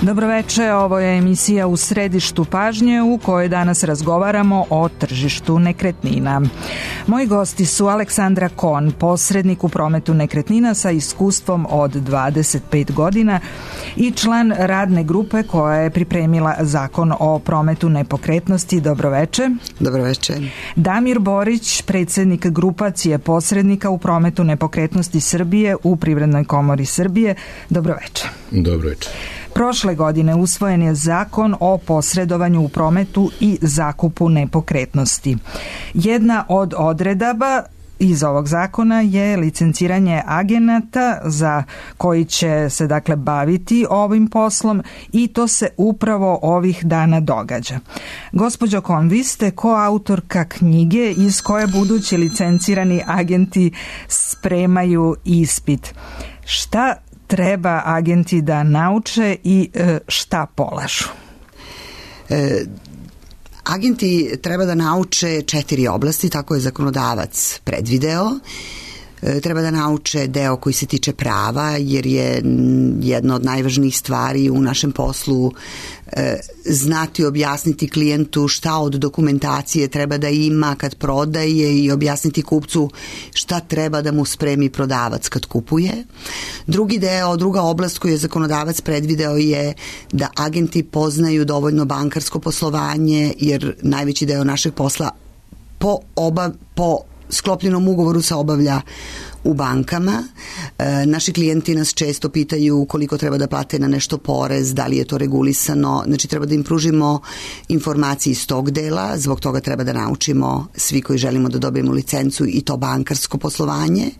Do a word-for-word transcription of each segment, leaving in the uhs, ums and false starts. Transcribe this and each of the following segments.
Dobroveče, ovo je emisija U središtu pažnje u kojoj danas razgovaramo o tržištu nekretnina. Moji gosti su Aleksandra Kon, posrednik u prometu nekretnina sa iskustvom od dvadeset pet godina i član radne grupe koja je pripremila Zakon o prometu nepokretnosti. Dobroveče. Dobroveče. Damir Borić, predsjednik grupacije posrednika u prometu nepokretnosti Srbije u Privrednoj komori Srbije. Dobroveče. Dobroveče. Prošle godine usvojen je Zakon o posredovanju u prometu i zakupu nepokretnosti. Jedna od odredaba iz ovog zakona je licenciranje agenata za koji će se dakle baviti ovim poslom i to se upravo ovih dana događa. Gospođo Kon, vi ste koautorka knjige iz koje budući licencirani agenti spremaju ispit. Šta treba agenti da nauče i šta polažu? E, agenti treba da nauče četiri oblasti, tako je zakonodavac predvideo. E, treba da nauče deo koji se tiče prava, jer je jedna od najvažnijih stvari u našem poslu e, znati objasniti klijentu šta od dokumentacije treba da ima kad prodaje i objasniti kupcu šta treba da mu spremi prodavac kad kupuje. Drugi deo, druga oblast koju je zakonodavac predvideo je da agenti poznaju dovoljno bankarsko poslovanje, jer najveći deo našeg posla po, oba, po sklopljenom ugovoru se obavlja u bankama. E, naši klijenti nas često pitaju koliko treba da plate na nešto porez, da li je to regulisano. Znači treba da im pružimo informacije iz tog dela, zbog toga treba da naučimo svi koji želimo da dobijemo licencu i to bankarsko poslovanje.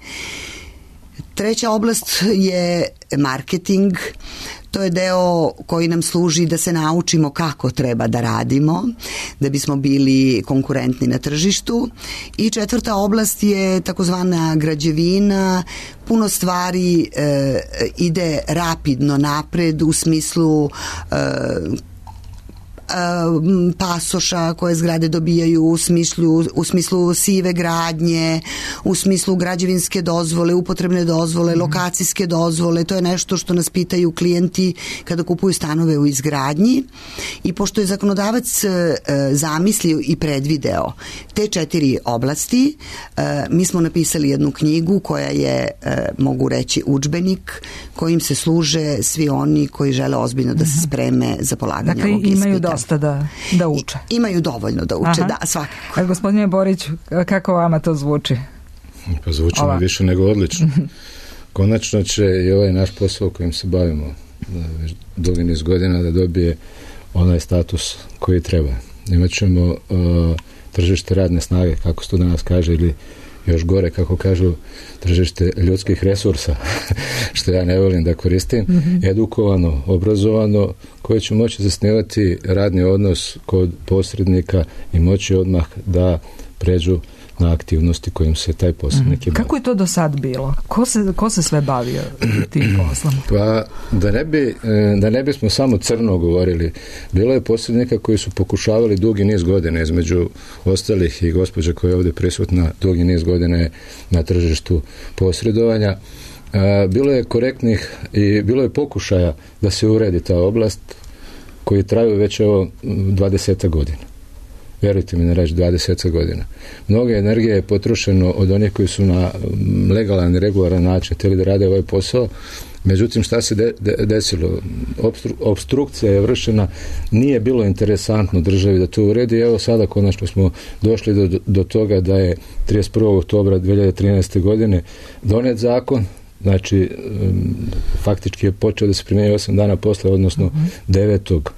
Treća oblast je marketing. To je deo koji nam služi da se naučimo kako treba da radimo, da bismo bili konkurentni na tržištu. I četvrta oblast je takozvana građevina. Puno stvari e, ide rapidno napred u smislu e, pasoša koje zgrade dobijaju, u smislu, u smislu sive gradnje, u smislu građevinske dozvole, upotrebne dozvole, mm. lokacijske dozvole. To je nešto što nas pitaju klijenti kada kupuju stanove u izgradnji. I pošto je zakonodavac e, zamislio i predvideo te četiri oblasti, e, mi smo napisali jednu knjigu koja je, e, mogu reći, udžbenik kojim se služe svi oni koji žele ozbiljno da se spreme za polaganje dakle, ovog ispita. Imaju dosta da, da uče. I, imaju dovoljno da uče, Aha. da, svakako. A gospodine Borić, kako vama to zvuči? Pa zvuči mi više nego odlično. Konačno će i ovaj naš posao kojim se bavimo već dugi niz godina da dobije onaj status koji treba. Imat ćemo uh, tržište radne snage, kako se to danas kaže, ili još gore, kako kažu, tržište ljudskih resursa, što ja ne volim da koristim, mm-hmm. edukovano, obrazovano, koje će moći zasnivati radni odnos kod posrednika i moći odmah da pređu na aktivnosti kojim se taj posrednik mm-hmm. bavi. Kako je to do sad bilo? Ko se, ko se sve bavio tim poslom? Pa, da ne, bi, da ne bismo samo crno govorili, bilo je posrednika koji su pokušavali dugi niz godina, između ostalih i gospođa koja je ovdje prisutna dugi niz godine na tržištu posredovanja. Bilo je korektnih i bilo je pokušaja da se uredi ta oblast koji traju već evo dvadeset godina. Vjerujte mi, ne reći dvadeset godina. Mnogo energije je potrošeno od onih koji su na legalan i regularan način htjeli da rade ovaj posao. Međutim, šta se de, de, desilo? Obstru, obstrukcija je vršena, nije bilo interesantno državi da to uredi. Evo sada konačno smo došli do, do toga da je trideset prvog oktobra dve hiljade trinaeste. godine donet zakon. Znači, um, faktički je počeo da se primjenjuje osam dana posle, odnosno mm-hmm. devetog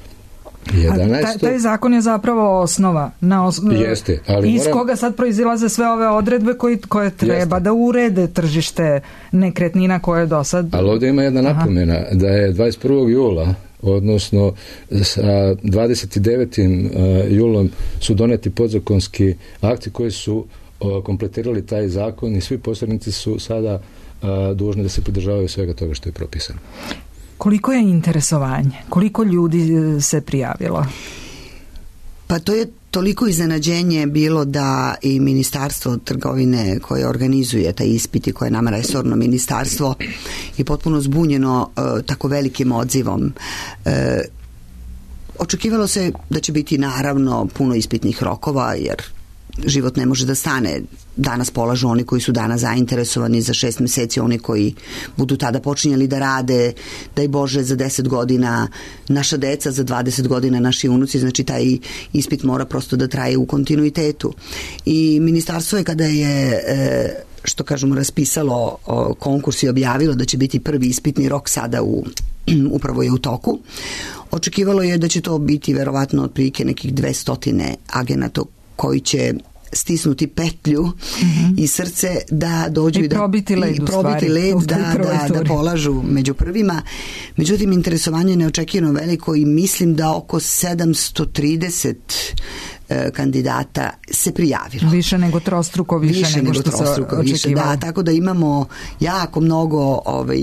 A taj, taj zakon je zapravo osnova na os... Jeste, ali iz moram... koga sad proizilaze sve ove odredbe koji, koje treba Jeste. Da urede tržište nekretnina koje je do sad. Ali ovdje ima jedna napomena Aha. da je dvadeset prvog jula, odnosno sa dvadeset devetim julom su doneti podzakonski akti koji su kompletirali taj zakon i svi posrednici su sada dužni da se pridržavaju svega toga što je propisano. Koliko je interesovanje? Koliko ljudi se prijavilo? Pa to je toliko iznenađenje bilo da i Ministarstvo trgovine koje organizuje taj ispit i koje je nama resorno ministarstvo je potpuno zbunjeno uh, tako velikim odzivom. Uh, očekivalo se da će biti naravno puno ispitnih rokova, jer život ne može da stane. Danas polažu oni koji su danas zainteresovani, za šest meseci oni koji budu tada počinjali da rade, daj Bože za deset godina naša deca, za dvadeset godina naši unuci, znači taj ispit mora prosto da traje u kontinuitetu. I ministarstvo je kada je što kažemo raspisalo konkurs i objavilo da će biti prvi ispitni rok sada u upravo je u toku. Očekivalo je da će to biti verovatno otprilike nekih dvesta agenata koji će stisnuti petlju mm-hmm. i srce da dođu i probiti led, i probiti led da, da, da polažu među prvima. Međutim, interesovanje je neočekivano veliko i mislim da oko sedamsto trideset kandidata se prijavilo. Više nego trostruko, više, više nego, nego što trostruko, se više, da, tako da imamo jako mnogo ovaj,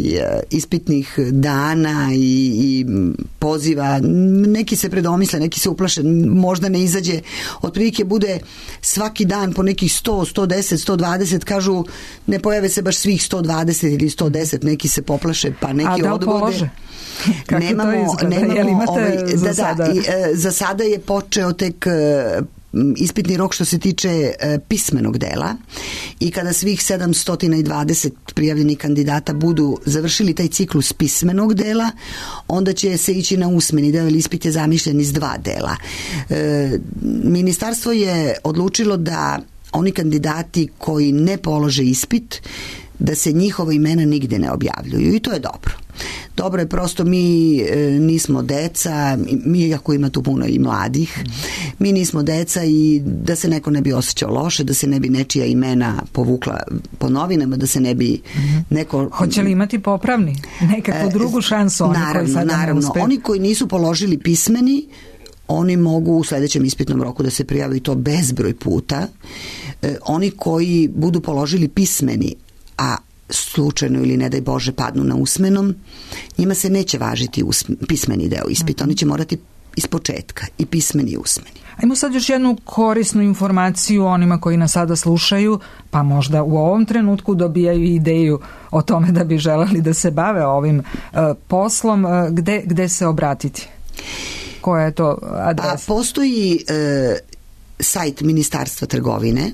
ispitnih dana i, i poziva. Neki se predomisle, neki se uplaše, možda ne izađe. Otprilike bude svaki dan po nekih sto, sto deset, sto dvadeset, kažu ne pojave se baš svih sto dvadeset ili sto deset, neki se poplaše, pa neki odgode. A da polože? Kako nemamo, to izgleda? Nemamo, Jel imate ovaj, za da, sada? Da, i, e, za sada je počeo tek e, ispitni rok što se tiče e, pismenog dela i kada svih sedamsto dvadeset prijavljenih kandidata budu završili taj ciklus pismenog dela, onda će se ići na usmeni deo, ili ispit je zamišljen iz dva dela. E, ministarstvo je odlučilo da oni kandidati koji ne polože ispit, da se njihova imena nigde ne objavljuju i to je dobro. Dobro je, prosto mi e, nismo deca, mi ako ima tu puno i mladih, mi nismo deca i da se neko ne bi osjećao loše, da se ne bi nečija imena povukla po novinama, da se ne bi neko... Hoće li imati popravni? Nekakvu drugu šansu oni naravno, koji sada naravno. ne uspeju? Oni koji nisu položili pismeni, oni mogu u sledećem ispitnom roku da se prijave i to bezbroj puta. E, oni koji budu položili pismeni, a slučajno ili ne daj Bože padnu na usmenom, njima se neće važiti usme, pismeni deo ispita. Oni će morati iz početka i pismeni i usmeni. Ajmo sad još jednu korisnu informaciju onima koji nas sada slušaju, pa možda u ovom trenutku dobijaju ideju o tome da bi želeli da se bave ovim uh, poslom. Uh, gde, gde se obratiti? Koja je to adresa? A postoji uh, sajt Ministarstva trgovine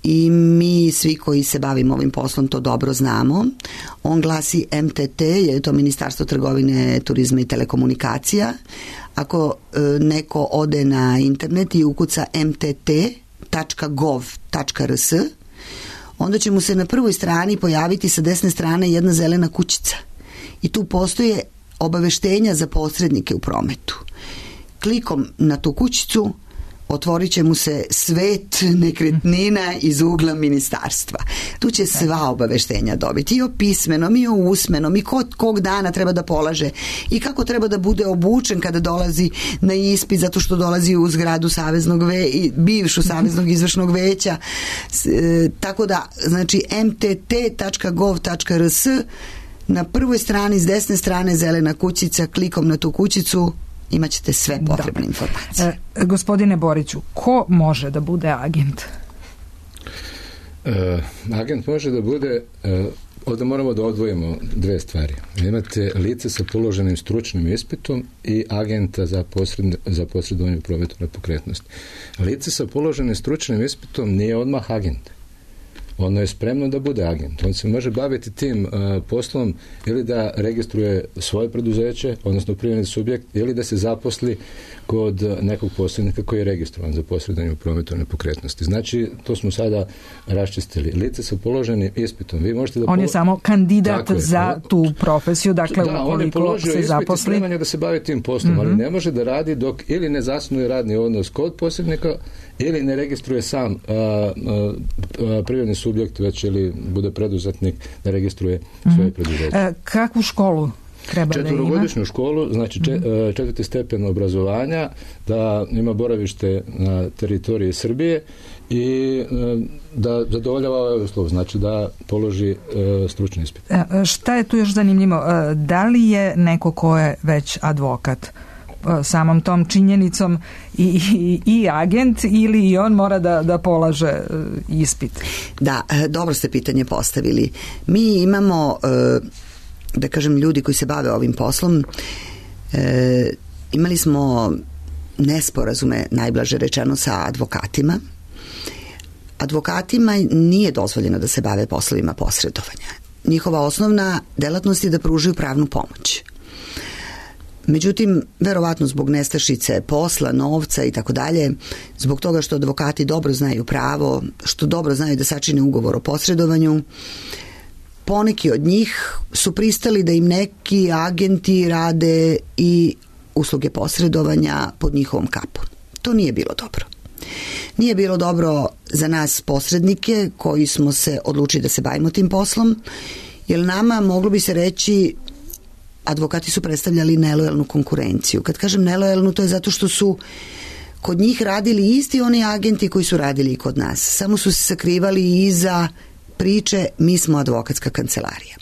i mi svi koji se bavimo ovim poslom to dobro znamo. On glasi M T T, je to Ministarstvo trgovine, turizma i telekomunikacija. Ako e, neko ode na internet i ukuca em te te tačka gov tačka er s, onda će mu se na prvoj strani pojaviti sa desne strane jedna zelena kućica. I tu postoje obaveštenja za posrednike u prometu. Klikom na tu kućicu otvorit će mu se svet nekretnina iz ugla ministarstva. Tu će sva obaveštenja dobiti i o pismenom i o usmenom i kod kog dana treba da polaže i kako treba da bude obučen kada dolazi na ispit, zato što dolazi u zgradu saveznog ve, bivšu saveznog izvršnog veća. E, tako da, znači em te te tačka gov tačka er s, na prvoj strani s desne strane zelena kućica, klikom na tu kućicu imat ćete sve potrebne informacije. E, gospodine Boriću, ko može da bude agent? E, agent može da bude, e, ovdje moramo da odvojimo dve stvari. Imate lice sa položenim stručnim ispitom i agenta za, posred, za posredovanje u prometu nepokretnosti. Lice sa položenim stručnim ispitom nije odmah agent. Ono je spremno da bude agent. On se može baviti tim uh, poslom ili da registruje svoje preduzeće, odnosno privredni subjekt, ili da se zaposli kod nekog posrednika koji je registrovan za posredovanje u prometu nepokretnosti. Znači, to smo sada raščistili. Lice sa položenim ispitom. Vi možete da on je polo... samo kandidat Tako za je. tu profesiju, dakle da, ukoliko se zaposli. On je da se bavi tim poslom, mm-hmm. ali ne može da radi dok ili ne zasnuje radni odnos kod posrednika ili ne registruje sam a, a, a, privredni subjekt, već ili bude preduzetnik da registruje mm-hmm. svoje preduzeće. E, kakvu školu treba da ima? Četvorogodišnju školu, znači mm-hmm. četvrti stepen obrazovanja, da ima boravište na teritoriji Srbije i da zadovoljava ovaj uslov, znači da položi e, stručni ispit. E, šta je tu još zanimljivo? E, da li je neko ko je već advokat samom tom činjenicom i, i, i agent ili i on mora da, da polaže ispit? Da, dobro ste pitanje postavili. Mi imamo, da kažem, ljudi koji se bave ovim poslom, imali smo nesporazume, najblaže rečeno, sa advokatima. Advokatima nije dozvoljeno da se bave poslovima posredovanja. Njihova osnovna delatnost je da pružaju pravnu pomoć. Međutim, verovatno zbog nestašice posla, novca i tako dalje, zbog toga što advokati dobro znaju pravo, što dobro znaju da sačine ugovor o posredovanju, poneki od njih su pristali da im neki agenti rade i usluge posredovanja pod njihovom kapom. To nije bilo dobro. Nije bilo dobro za nas posrednike koji smo se odlučili da se bavimo tim poslom, jer nama, moglo bi se reći, advokati su predstavljali nelojalnu konkurenciju. Kad kažem nelojalnu, to je zato što su kod njih radili isti oni agenti koji su radili i kod nas. Samo su se sakrivali iza priče mi smo advokatska kancelarija.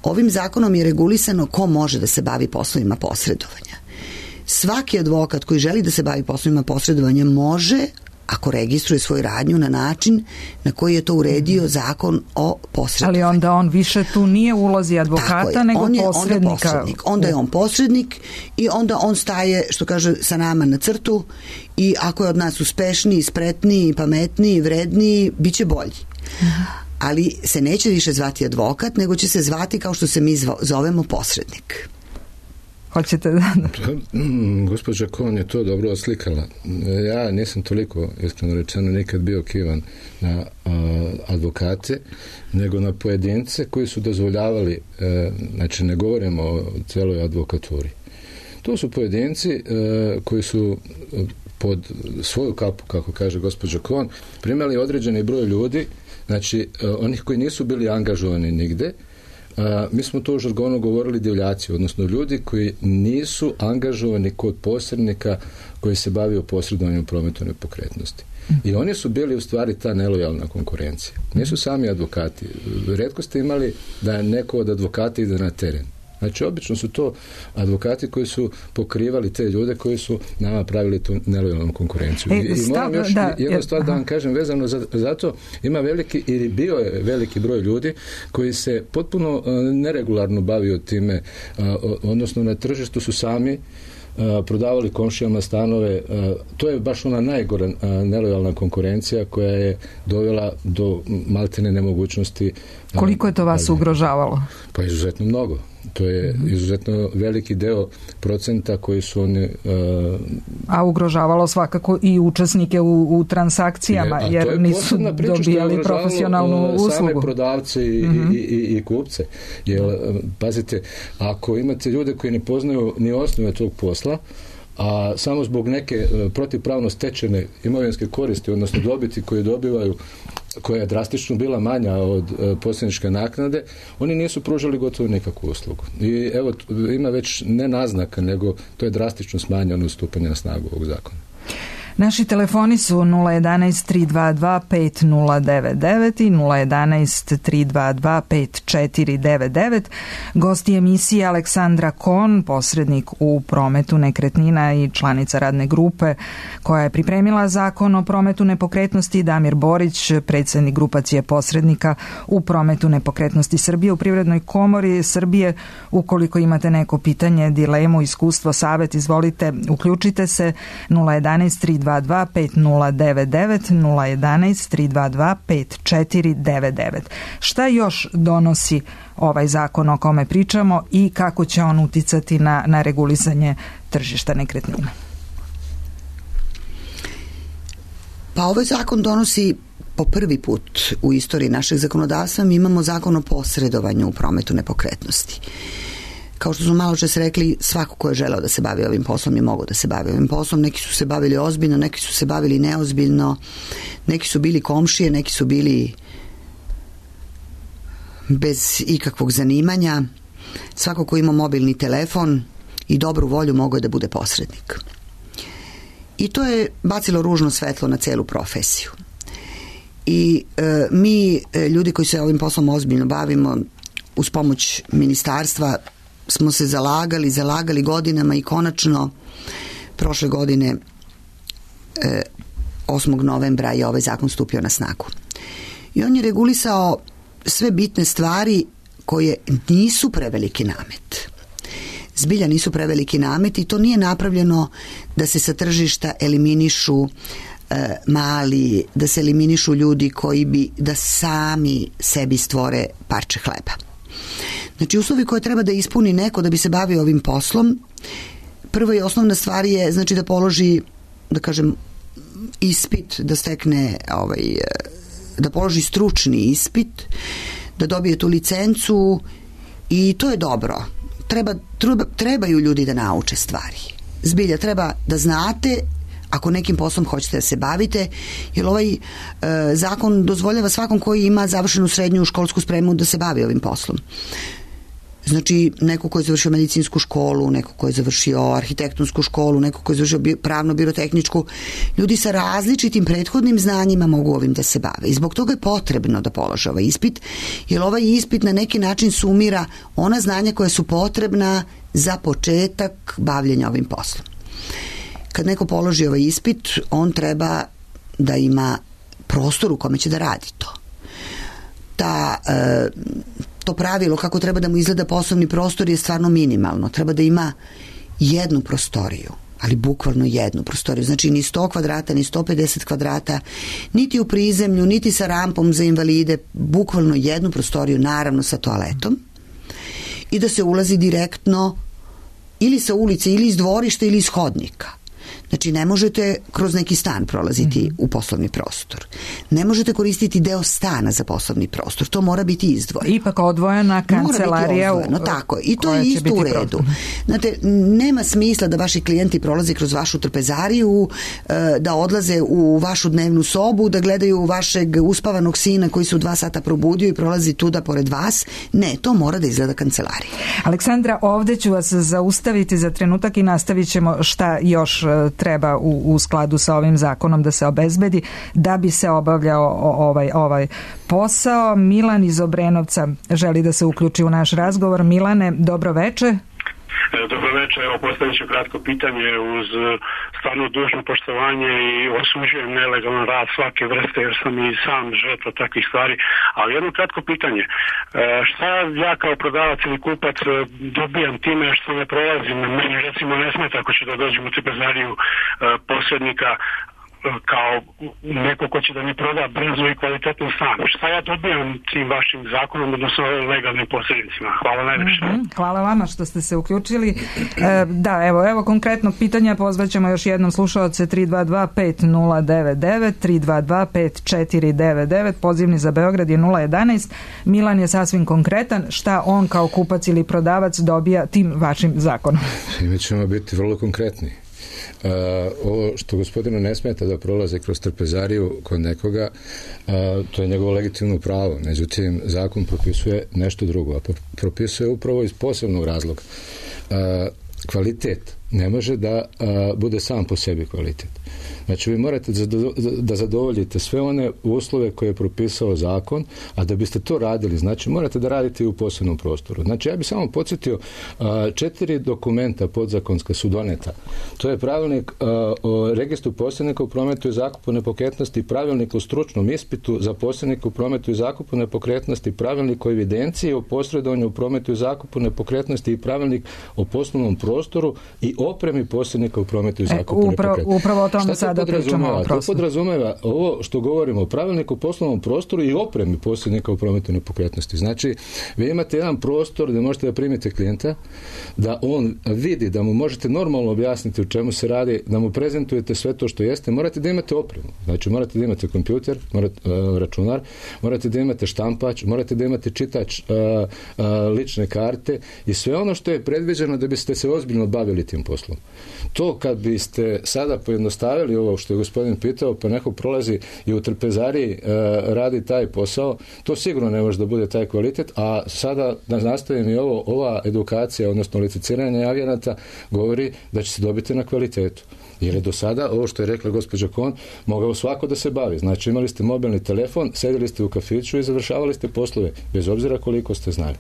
Ovim zakonom je regulisano ko može da se bavi poslovima posredovanja. Svaki advokat koji želi da se bavi poslovima posredovanja može, ako registruje svoju radnju na način na koji je to uredio zakon o posredovanju. Ali onda on više tu nije u ulozi advokata, nego on je, posrednika. Onda, posrednik. onda je on posrednik i onda on staje, što kaže, sa nama na crtu i ako je od nas uspešniji, spretniji, pametniji, vredniji, bit će bolji. Ali se neće više zvati advokat, nego će se zvati kao što se mi zovemo posrednik. Hoćete da... Gospođa Kohn je to dobro oslikala. Ja nisam toliko, iskreno rečeno, nikad bio kivan na a, advokate, nego na pojedince koji su dozvoljavali, e, znači ne govorimo o celoj advokaturi. To su pojedinci e, koji su pod svoju kapu, kako kaže gospođa Kohn, primali određeni broj ljudi, znači e, onih koji nisu bili angažovani nigde. A, mi smo to u žargonu govorili divljaci, odnosno ljudi koji nisu angažovani kod posrednika koji se bavio posredovanjem u prometu nepokretnosti. I oni su bili u stvari ta nelojalna konkurencija. Nisu sami advokati. Retko ste imali da neko od advokata ide na teren. Znači, obično su to advokati koji su pokrivali te ljude koji su nama pravili tu nelojalnu konkurenciju. E, I, i moram još da, jednu stvar da vam kažem vezano za, za to, ima veliki, ili bio je veliki broj ljudi koji se potpuno uh, neregularno bavio time, uh, odnosno na tržištu su sami Uh, prodavali komšijama stanove. Uh, to je baš ona najgora uh, nelojalna konkurencija koja je dovela do maltene nemogućnosti. Uh, Koliko je to vas ugrožavalo? Pa izuzetno mnogo. To je izuzetno veliki deo procenta koji su oni... Uh, a ugrožavalo svakako i učesnike u, u transakcijama, je, jer nisu dobijali profesionalnu uslugu. Same prodavce i, mm-hmm. i, i, i kupce. Jer, pazite, ako imate ljude koji ne poznaju ni osnove tog posla, a samo zbog neke protivpravno stečene imovinske koristi, odnosno dobiti koje dobivaju, koja je drastično bila manja od e, posredničke naknade, oni nisu pružali gotovo nikakvu uslugu. I evo, ima već ne naznaka, nego to je drastično smanjeno stupanje na snagu ovog zakona. Naši telefoni su nula jedanaest tri dva dva pet nula devet devet i nula jedanaest tri dva dva pet četiri devet devet. Gosti emisije Aleksandra Kohn, posrednik u prometu nekretnina i članica radne grupe koja je pripremila zakon o prometu nepokretnosti, Damir Borić, predsjednik grupacije posrednika u prometu nepokretnosti Srbije u Privrednoj komori Srbije. Ukoliko imate neko pitanje, dilemu, iskustvo, savjet, izvolite, uključite se nula jedanaest tri dva dva pet nula devet devet, nula jedanaest tri dva dva pet četiri devet devet. Šta još donosi ovaj zakon o kome pričamo i kako će on uticati na, na regulisanje tržišta nekretnina? Pa ovaj zakon donosi po prvi put u istoriji našeg zakonodavstva. Mi imamo zakon o posredovanju u prometu nepokretnosti. Kao što smo malo čas rekli, svako ko je želeo da se bavi ovim poslom je mogao da se bavi ovim poslom. Neki su se bavili ozbiljno, neki su se bavili neozbiljno, neki su bili komšije, neki su bili bez ikakvog zanimanja. Svako ko ima mobilni telefon i dobru volju mogao je da bude posrednik. I to je bacilo ružno svetlo na celu profesiju. I e, mi, ljudi koji se ovim poslom ozbiljno bavimo, uz pomoć ministarstva smo se zalagali, zalagali godinama i konačno prošle godine e, osmog novembra je ovaj zakon stupio na snagu. I on je regulisao sve bitne stvari koje nisu preveliki namet. Zbilja nisu preveliki namet i to nije napravljeno da se sa tržišta eliminišu e, mali, da se eliminišu ljudi koji bi da sami sebi stvore parče hleba. Znači, uslovi koje treba da ispuni neko da bi se bavio ovim poslom, prva i osnovna stvar je, znači, da položi, da kažem, ispit, da stekne, ovaj, da položi stručni ispit, da dobije tu licencu i to je dobro. Treba, treba, trebaju ljudi da nauče stvari. Zbilja, treba da znate ako nekim poslom hoćete da se bavite, jer ovaj e, zakon dozvoljava svakom koji ima završenu srednju školsku spremu da se bavi ovim poslom. Znači, neko ko je završio medicinsku školu, neko ko je završio arhitektonsku školu, neko ko je završio bi, pravno-birotehničku, ljudi sa različitim prethodnim znanjima mogu ovim da se bave. I zbog toga je potrebno da polože ovaj ispit, jer ovaj ispit na neki način sumira ona znanja koja su potrebna za početak bavljenja ovim poslom. Kad neko položi ovaj ispit, on treba da ima prostor u kome će da radi to. Ta... E, to pravilo kako treba da mu izgleda poslovni prostor je stvarno minimalno. Treba da ima jednu prostoriju, ali bukvalno jednu prostoriju. Znači ni sto kvadrata, ni sto pedeset kvadrata, niti u prizemlju, niti sa rampom za invalide, bukvalno jednu prostoriju, naravno sa toaletom, i da se ulazi direktno ili sa ulice, ili iz dvorišta, ili iz hodnika. Znači, ne možete kroz neki stan prolaziti mm-hmm. u poslovni prostor. Ne možete koristiti deo stana za poslovni prostor. To mora biti izdvojeno. Ipak odvojena kancelarija. Mora biti odvojeno, tako. I to je isto u redu. Problem. Znate, nema smisla da vaši klijenti prolaze kroz vašu trpezariju, da odlaze u vašu dnevnu sobu, da gledaju vašeg uspavanog sina koji se u dva sata probudio i prolazi tuda pored vas. Ne, to mora da izgleda kancelarija. Aleksandra, ovde ću vas zaustaviti za trenutak i nastavit ćemo šta još treba u, u skladu sa ovim zakonom da se obezbedi da bi se obavljao ovaj, ovaj posao. Milan iz Obrenovca želi da se uključi u naš razgovor. Milane, dobro veče. Dobro večer, evo postavit ću kratko pitanje uz stvarno dužno poštovanje i osuđujem nelegalan rad svake vrste jer sam i sam žrtva takvih stvari, ali jedno kratko pitanje. E, šta ja kao prodavac ili kupac dobijam time što ne prolazim? Meni recimo ne smeta ako ću da dođem u trpezariju e, posrednika kao neko ko će da mi proda brzo i kvalitetno stan. Šta ja dobijam tim vašim zakonom, odnosno legalnim posrednicima? Hvala najviše. Mm-hmm. Hvala vama što ste se uključili. E, da, evo, evo konkretnog pitanja. Pozvaćemo još jednom slušaoce tri dva dva pet nula devet devet, tri dva dva pet četiri devet devet, pozivni za Beograd je nula jedanaest. Milan je sasvim konkretan. Šta on kao kupac ili prodavac dobija tim vašim zakonom? Mi ćemo biti vrlo konkretni. Uh, ovo što gospodinu ne smeta da prolaze kroz trpezariju kod nekoga, uh, to je njegovo legitimno pravo. Međutim, zakon propisuje nešto drugo, a propisuje upravo iz posebnog razloga. Uh, kvalitet ne može da uh, bude sam po sebi kvalitet. Znači, vi morate da zadovoljite sve one uslove koje je propisao zakon, a da biste to radili, znači, morate da radite i u posebnom prostoru. Znači, ja bih samo podsjetio, četiri dokumenta podzakonska su doneta. To je pravilnik o registru posrednika u prometu i zakupu nepokretnosti, pravilnik o stručnom ispitu za posrednika u prometu i zakupu nepokretnosti, pravilnik o evidenciji o posredovanju u prometu i zakupu nepokretnosti i pravilnik o poslovnom prostoru i opremi posrednika u prometu i zakupu e, upravo, nepokretnosti. Upravo o tome sada pričamo. To podrazumeva ovo što govorimo o pravilniku o poslovnom prostoru i opremi posrednika u prometu nepokretnosti. Znači, vi imate jedan prostor gdje možete da primite klijenta, da on vidi, da mu možete normalno objasniti o čemu se radi, da mu prezentujete sve to što jeste, morate da imate opremu. Znači, morate da imate kompjuter, morate, uh, računar, morate da imate štampač, morate da imate čitač uh, uh, lične karte i sve ono što je predviđeno da biste se ozbiljno bavili tim poslom. To kad biste sada pojednostavili ovo što je gospodin pitao, pa neko prolazi i u trpezariji e, radi taj posao, to sigurno ne može da bude taj kvalitet, a sada da nastavim i ovo, ova edukacija, odnosno licenciranje agenata govori da će se dobiti na kvalitetu. Jer je do sada, ovo što je rekla gospođa Kon, mogao svako da se bavi. Znači imali ste mobilni telefon, sedeli ste u kafiću i završavali ste poslove, bez obzira koliko ste znali.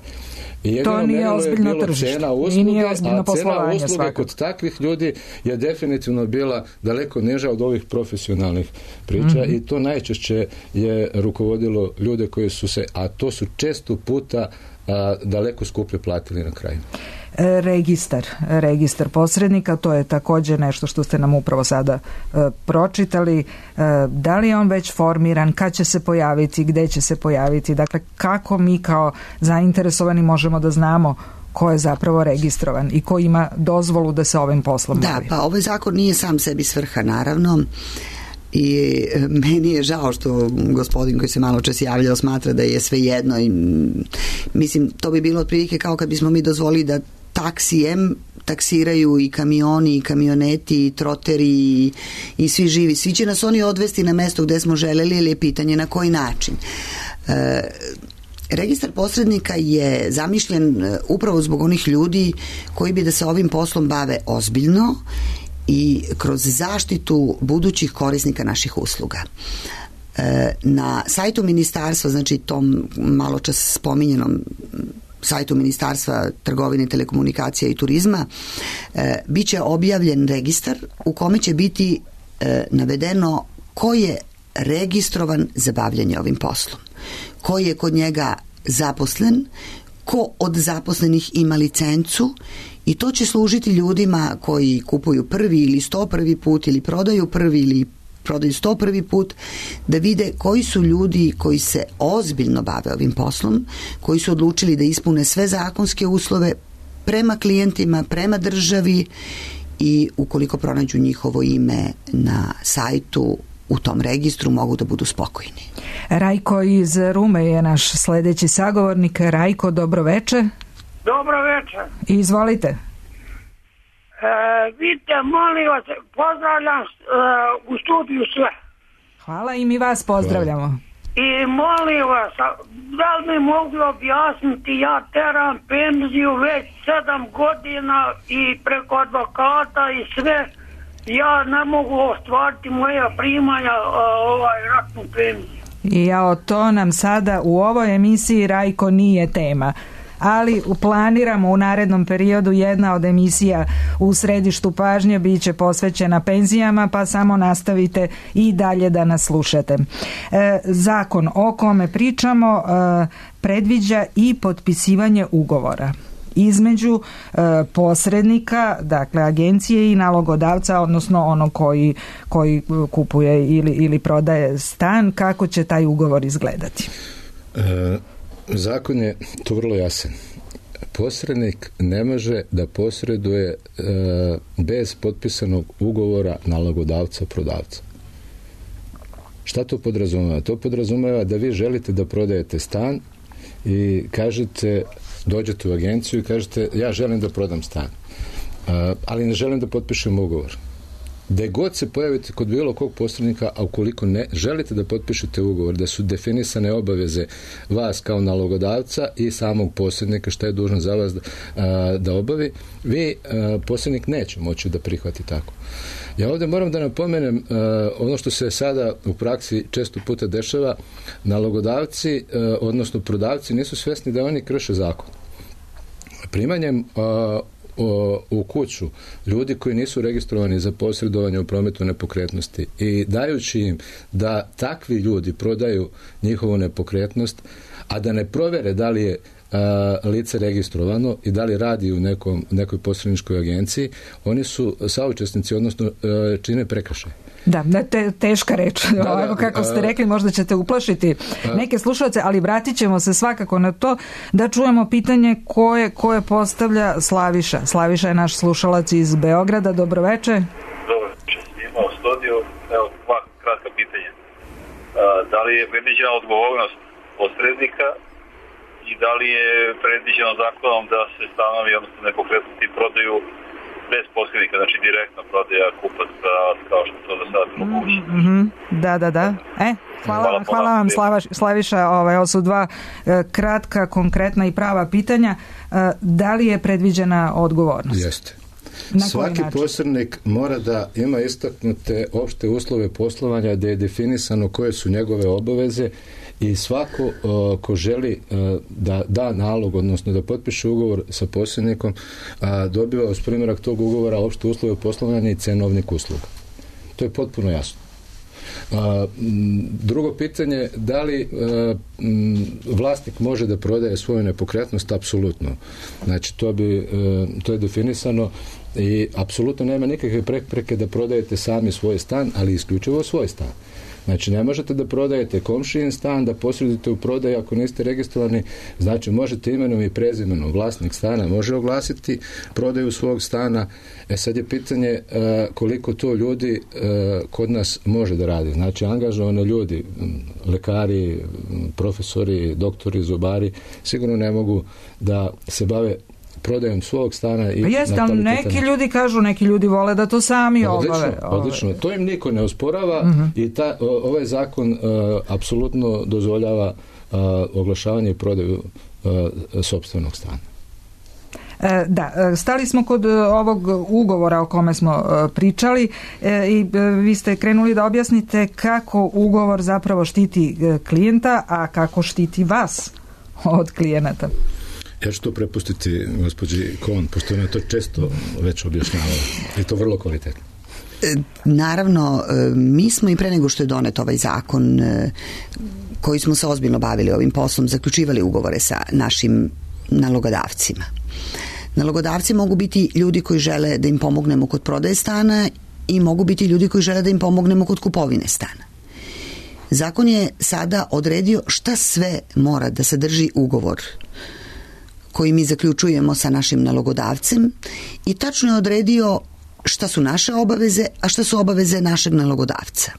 I to nije ozbiljno tržište. Cena usluge, I nije ozbiljno poslovanje. A cena usluge kod takvih ljudi je definitivno bila daleko niža od ovih profesionalnih priča mm-hmm. i to najčešće je rukovodilo ljude koji su se, a to su često puta a, daleko skuplje platili na kraju. Registar, registar posrednika, to je također nešto što ste nam upravo sada e, pročitali. E, da li je on već formiran, kad će se pojaviti, gde će se pojaviti, dakle kako mi kao zainteresovani možemo da znamo ko je zapravo registrovan i ko ima dozvolu da se ovim poslom da, bavi? Da, pa ovaj zakon nije sam sebi svrha, naravno. I meni je žao što gospodin koji se malo čas javljao smatra da je sve jedno i mislim to bi bilo otprilike kao kad bismo mi dozvolili da taksijem taksiraju i kamioni i kamioneti i troteri i, i svi živi. Svi će nas oni odvesti na mesto gde smo želeli ili je pitanje na koji način. E, Registar posrednika je zamišljen upravo zbog onih ljudi koji bi da se ovim poslom bave ozbiljno i kroz zaštitu budućih korisnika naših usluga. E, na sajtu ministarstva, znači tom malo čas spominjenom sajtu Ministarstva trgovine, telekomunikacija i turizma, e, bit će objavljen registar u kome će biti e, navedeno ko je registrovan za bavljanje ovim poslom, ko je kod njega zaposlen, ko od zaposlenih ima licencu i to će služiti ljudima koji kupuju prvi ili sto prvi put ili prodaju prvi ili prodaju sto prvi put, da vide koji su ljudi koji se ozbiljno bave ovim poslom, koji su odlučili da ispune sve zakonske uslove prema klijentima, prema državi i ukoliko pronađu njihovo ime na sajtu u tom registru mogu da budu spokojni. Rajko iz Rume je naš sledeći sagovornik. Rajko, dobro veče. Dobro veče. Izvolite. E, vidite, molim vas, pozdravljam e, u studiju sve. Hvala i mi vas pozdravljamo. I molim vas, da li mi mogu objasniti, ja teram penziju već sedam godina i preko advokata i sve, ja ne mogu ostvariti moja primanja ovaj ratnu penziju. I ja, to nam sada u ovoj emisiji, Rajko, nije tema. Ali planiramo u narednom periodu jedna od emisija u središtu pažnje bit će posvećena penzijama, pa samo nastavite i dalje da nas slušate. E, zakon o kome pričamo e, predviđa i potpisivanje ugovora između e, posrednika, dakle agencije i nalogodavca, odnosno ono koji, koji kupuje ili, ili prodaje stan. Kako će taj ugovor izgledati? E, zakon je to vrlo jasan. Posrednik ne može da posreduje e, bez potpisanog ugovora nalogodavca prodavca. Šta to podrazumeva? To podrazumeva da vi želite da prodajete stan i kažete, dođete u agenciju i kažete ja želim da prodam stan, e, ali ne želim da potpišem ugovor. Gde god se pojavite kod bilo kog posrednika, a ukoliko ne želite da potpišete ugovor, da su definisane obaveze vas kao nalogodavca i samog posrednika šta je dužan za vas da, a, da obavi, vi a, posrednik neće moći da prihvati tako. Ja ovdje moram da napomenem a, ono što se sada u praksi često puta dešava, nalogodavci, a, odnosno prodavci nisu svesni da oni krše zakon. Primanjem a, u kuću ljudi koji nisu registrovani za posredovanje u prometu nepokretnosti i dajući im da takvi ljudi prodaju njihovu nepokretnost, a da ne provere da li je a, lice registrovano i da li radi u nekom, nekoj posredničkoj agenciji, oni su saučesnici, odnosno a, čine prekršaj. Da, te, teška reč. Da, Ovako kako ste rekli, možda ćete uplašiti neke slušalce, ali vratit ćemo se svakako na to da čujemo pitanje koje, koje postavlja Slaviša. Slaviša je naš slušalac iz Beograda. Dobro veče. Dobro veče. Ima u studiju, evo, dva kratka pitanja. Da li je predviđena odgovornost posrednika i da li je predviđeno zakonom da se stanovi, odnosno nepokretnosti prodaju bez posrednika, znači direktno prodaja kupac pravac kao što to do sada moguće. Mm-hmm. Da, da, da. E, hvala, hvala, hvala vam Slava, Slaviša, ovaj, ovo su dva e, kratka, konkretna i prava pitanja. E, da li je predviđena odgovornost? Jeste. Svaki posrednik mora da ima istaknute opšte uslove poslovanja, da je definisano koje su njegove obaveze i svako uh, ko želi uh, da da nalog, odnosno da potpiše ugovor sa posrednikom, uh, dobiva uz primjerak tog ugovora opšte uslove poslovanja i cenovnik usluga. To je potpuno jasno. Uh, drugo pitanje, da li uh, m, vlasnik može da prodaje svoju nepokretnost? Apsolutno. Znači, to, bi, uh, to je definisano i apsolutno nema nikakve prepreke da prodajete sami svoj stan, ali isključivo svoj stan. Znači, ne možete da prodajete komšijin stan, da posredite u prodaju ako niste registrovani. Znači, možete imenom i prezimenom, vlasnik stana može oglasiti prodaju svog stana. E sad je pitanje uh, koliko to ljudi uh, kod nas može da radi. Znači, angažovani ljudi, lekari, profesori, doktori, zubari, sigurno ne mogu da se bave prodajom svog stana. I pa jeste, ali neki ljudi kažu, neki ljudi vole da to sami odlično, obave. Odlično, to im niko ne osporava uh-huh. i ta, o, ovaj zakon uh, apsolutno dozvoljava uh, oglašavanje i prodaju uh, sopstvenog stana. E, da, stali smo kod ovog ugovora o kome smo e, pričali e, i e, vi ste krenuli da objasnite kako ugovor zapravo štiti e, klijenta, a kako štiti vas od klijenata. Ja ću to prepustiti gospođi Kohn, pošto ona to često već objašnjavala. Je to vrlo kvalitetno. Naravno, mi smo i pre nego što je donet ovaj zakon, koji smo se ozbiljno bavili ovim poslom, zaključivali ugovore sa našim nalogodavcima. Nalogodavci mogu biti ljudi koji žele da im pomognemo kod prodaje stana i mogu biti ljudi koji žele da im pomognemo kod kupovine stana. Zakon je sada odredio šta sve mora da sadrži ugovor koji mi zaključujemo sa našim nalogodavcem i tačno je odredio šta su naše obaveze, a šta su obaveze našeg nalogodavca.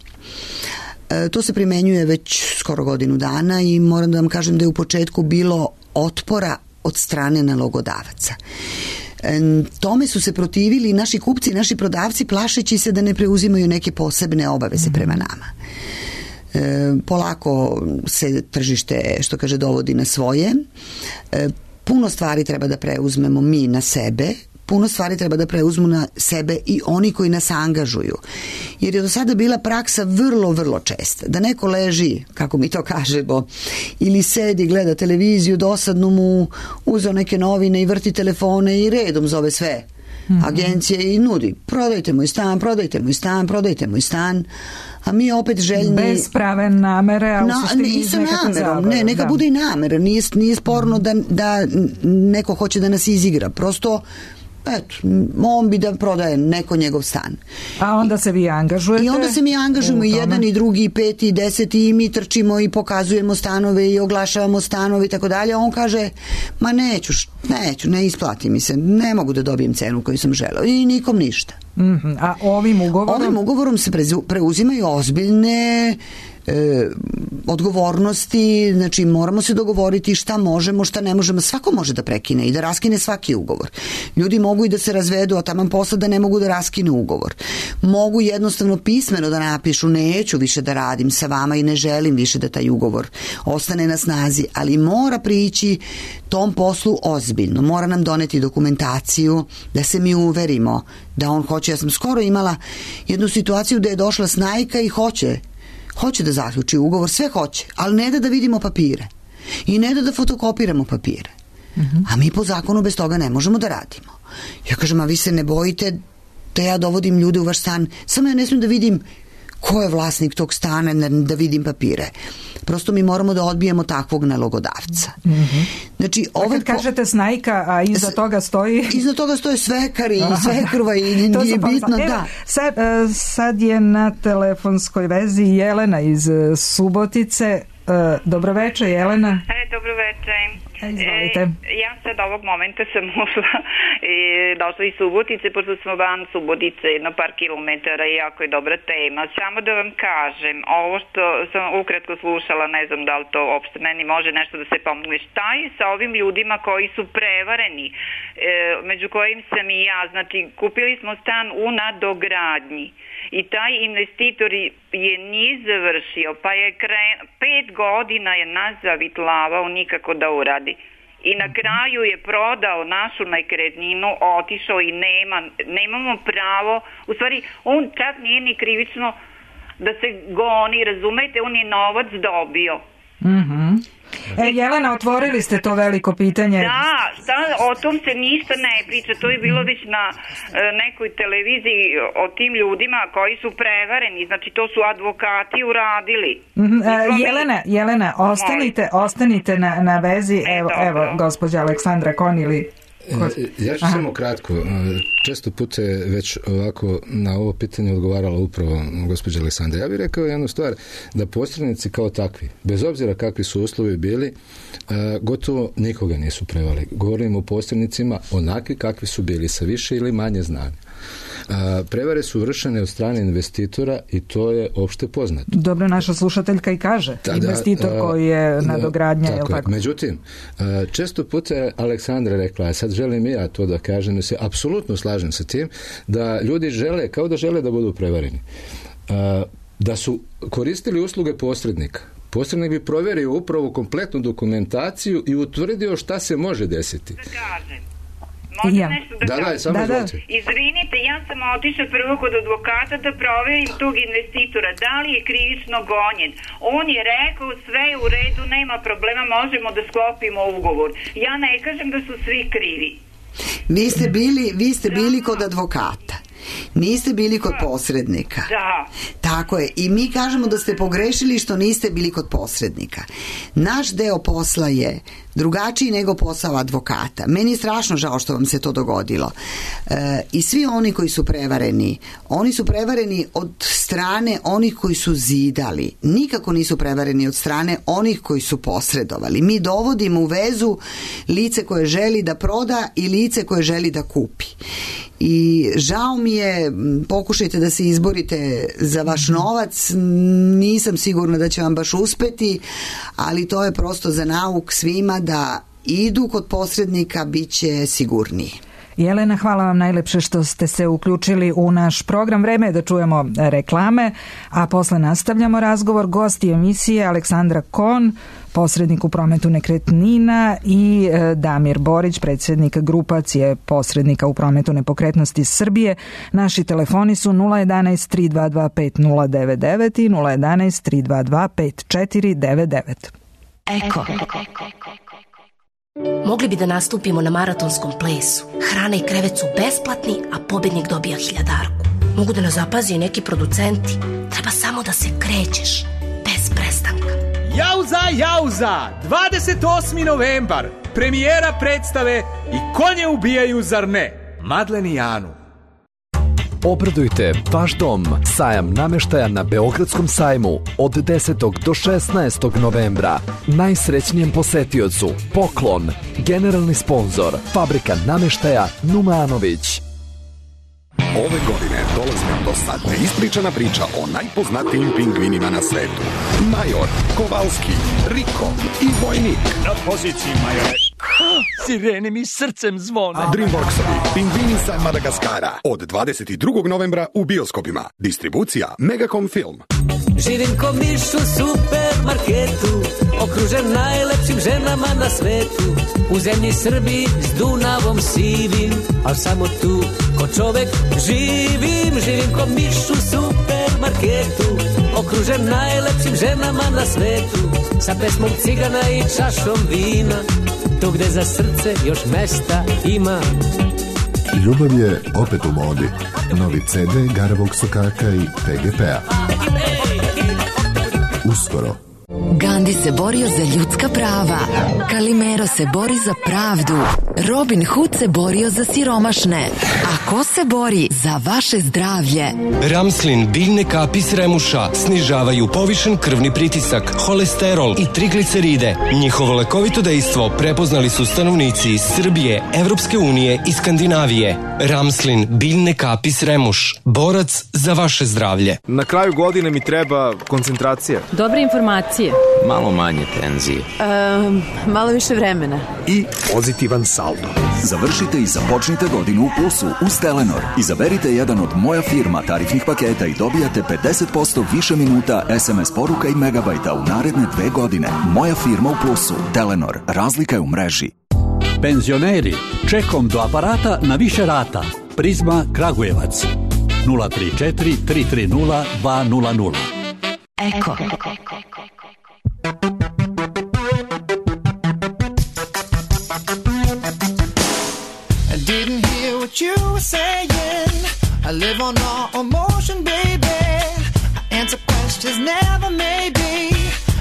E, to se primenjuje već skoro godinu dana i moram da vam kažem da je u početku bilo otpora od strane nalogodavaca. E, tome su se protivili naši kupci i naši prodavci, plašeći se da ne preuzimaju neke posebne obaveze prema nama. E, polako se tržište, što kaže, dovodi na svoje. E, puno stvari treba da preuzmemo mi na sebe, puno stvari treba da preuzmu na sebe i oni koji nas angažuju. Jer je do sada bila praksa vrlo, vrlo česta. Da neko leži, kako mi to kažemo, ili sedi, gleda televiziju, dosadno mu uzeo neke novine i vrti telefone i redom zove sve agencije i nudi, prodajte mu i stan, prodajte mu i stan, prodajte mu i stan, a mi opet željni... Bez prave namere, a u suštini iz nekakve zabave. Ne, neka da. bude i namera, nije, nije sporno da, da neko hoće da nas izigra, prosto eto, on bi da prodaje neko njegov stan. A onda se vi angažujete? I onda se mi angažujemo i jedan i drugi i peti i deseti i mi trčimo i pokazujemo stanove i oglašavamo stanove i tako dalje. On kaže, ma neću, neću, ne isplati mi se, ne mogu da dobijem cenu koju sam želeo i nikom ništa. Mm-hmm. A ovim ugovorom? Ovim ugovorom se preuzimaju ozbiljne E, odgovornosti, znači moramo se dogovoriti šta možemo, šta ne možemo. Svako može da prekine i da raskine svaki ugovor. Ljudi mogu i da se razvedu, a taman posla da ne mogu da raskine ugovor. Mogu jednostavno pismeno da napišu, neću više da radim sa vama i ne želim više da taj ugovor ostane na snazi, ali mora prići tom poslu ozbiljno. Mora nam doneti dokumentaciju da se mi uverimo da on hoće. Ja sam skoro imala jednu situaciju da je došla snajka i hoće hoće da zaključi ugovor, sve hoće, ali ne da da vidimo papire i ne da da fotokopiramo papire. Uh-huh. A mi po zakonu bez toga ne možemo da radimo. Ja kažem, a vi se ne bojite da ja dovodim ljude u vaš stan, samo ja ne smijem da vidim ko je vlasnik tog stana, da vidim papire. Prosto mi moramo da odbijemo takvog nalogodavca. Mm-hmm. Znači, a kad po... kažete snajka, a iza toga stoji... Iza toga stoje svekari i svekrva i nije bitno, Evo, da. Sad, sad je na telefonskoj vezi Jelena iz Subotice. Dobroveče, Jelena. E, dobroveče. Izvolite. E, ja sad ovog momenta sam ušla i došla iz Subotice, pošto smo van Subotice, jedno par kilometara i jako je dobra tema. Samo da vam kažem, ovo što sam ukratko slušala, ne znam da li to uopšte meni može nešto da se pomogne. Šta je sa ovim ljudima koji su prevareni, e, među kojim sam i ja, znači kupili smo stan u nadogradnji i taj investitor je nije završio, pa je kren... pet godina je nas zavitlavao nikako da uradi. I na kraju je prodao našu nekretninu, otišao i nema, nemamo pravo, u stvari on čak nije ni krivično da se goni, razumete, on je novac dobio. Mhm. E, Jelena, otvorili ste to veliko pitanje. Da, šta, o tom se ništa ne priča, to je bilo već na e, nekoj televiziji o tim ljudima koji su prevareni, znači to su advokati uradili. Mm-hmm. E, Jelena, Jelena, ostanite, ostanite na, na vezi, e, evo, evo, gospođa Aleksandra Kon ili... Ja ću Aha. samo kratko. Često puta je već ovako na ovo pitanje odgovarala upravo gospođa Aleksandra. Ja bih rekao jednu stvar, da posrednici kao takvi, bez obzira kakvi su uslovi bili, gotovo nikoga nisu prevali. Govorim o posrednicima onakvi kakvi su bili, sa više ili manje znanja. Prevare su vršene od strane investitora i to je opšte poznato. Dobro, naša slušateljka i kaže, da, investitor da, koji je nadogradnja, tako, je li tako? Međutim, često puta je Aleksandra rekla, a sad želim i ja to da kažem, da se apsolutno slažem sa tim, da ljudi žele, kao da žele da budu prevareni. Da su koristili usluge posrednika. Posrednik bi provjerio upravo kompletnu dokumentaciju i utvrdio šta se može desiti. Da kažem. Može ja. nešto da, da, da, samo da, da. Izvinite, ja sam otišla prvo kod advokata da proverim tog investitora, da li je krivično gonjen. On je rekao sve je u redu, nema problema, možemo da sklopimo ugovor. Ja ne kažem da su svi krivi. Vi ste bili, vi ste bili kod advokata. Niste bili kod posrednika. Da. Tako je. I mi kažemo da ste pogrešili što niste bili kod posrednika. Naš deo posla je drugačiji nego posao advokata. Meni je strašno žao što vam se to dogodilo. E, I svi oni koji su prevareni, oni su prevareni od strane onih koji su zidali. Nikako nisu prevareni od strane onih koji su posredovali. Mi dovodimo u vezu lice koje želi da proda i lice koje želi da kupi. I žao mi je, pokušajte da se izborite za vaš novac, nisam sigurna da će vam baš uspeti, ali to je prosto za nauk svima da idu kod posrednika, bit će sigurniji. Jelena, hvala vam najlepše što ste se uključili u naš program. Vreme je da čujemo reklame, a posle nastavljamo razgovor. Gosti emisije Aleksandra Kon, posrednik u prometu nekretnina, i Damir Borić, predsjednik grupacije posrednika u prometu nepokretnosti Srbije. Naši telefoni su nula jedanaest tri dva dva pet nula devet devet i nula jedanaest tri dva dva pet četiri devet devet. Eko. Mogli bi da nastupimo na maratonskom plesu. Hrana i krevet su besplatni, a pobednik dobija hiljadarku. Mogu da nas zapazi i neki producenti. Treba samo da se krećeš, bez prestanka. Jauza, jauza! dvadeset osmi novembar. Premijera predstave I konje ubijaju, zar ne? Madlen i Janu. Obradujte vaš dom. Sajam nameštaja na Beogradskom sajmu od desetog do šesnaestog novembra. Najsrećnijem posetiocu poklon. Generalni sponzor Fabrika nameštaja Numanović. Ove godine dolazi nam dosadna ispričana priča o najpoznatijim pingvinima na svetu. Major, Kovalski, Riko i Vojnik. Na poziciji, Majore. Sirene mi srcem zvone. Dreamworksovi Pingvini sa Madagaskara od dvadeset drugog novembra u bioskopima. Distribucija Megacom Film. Živim ko miš u supermarketu, okružen najlepšim ženama na svetu. U zemlji Srbiji s Dunavom sivim, al samo tu ko čovek živim. Živim ko miš u supermarketu, okružen najlepšim ženama na svetu. Sa pesmom cigana i čašom vina, tu gde za srce još mesta ima. Ljubav je opet u modi. Novi ce de Garavog sokaka i te ge pe a. Uskoro. Gandhi se borio za ljudska prava. Kalimero se bori za pravdu. Robin Hood se borio za siromašne. A ko se bori za vaše zdravlje? Ramslin, biljne kapi s remuša snižavaju povišen krvni pritisak, holesterol i trigliceride. Njihovo lekovito dejstvo prepoznali su stanovnici iz Srbije, Evropske unije i Skandinavije. Ramslin, biljne kapi s remuš. Borac za vaše zdravlje. Na kraju godine mi treba koncentracija. Dobre informacije. Malo manje tenzije. Um, malo više vremena. I pozitivan saldo. Završite i započnite godinu u plusu uz Telenor. Izaberite jedan od Moja firma tarifnih paketa i dobijate pedeset posto više minuta es em es poruka i megabajta u naredne dve godine. Moja firma u plusu. Telenor. Razlika je u mreži. Penzioneri, čekom do aparata na više rata. Prizma Kragujevac. nula tri četiri tri tri nula dva nula nula. Eko. I didn't hear what you were saying. I live on all emotion, baby. I answer questions, never maybe.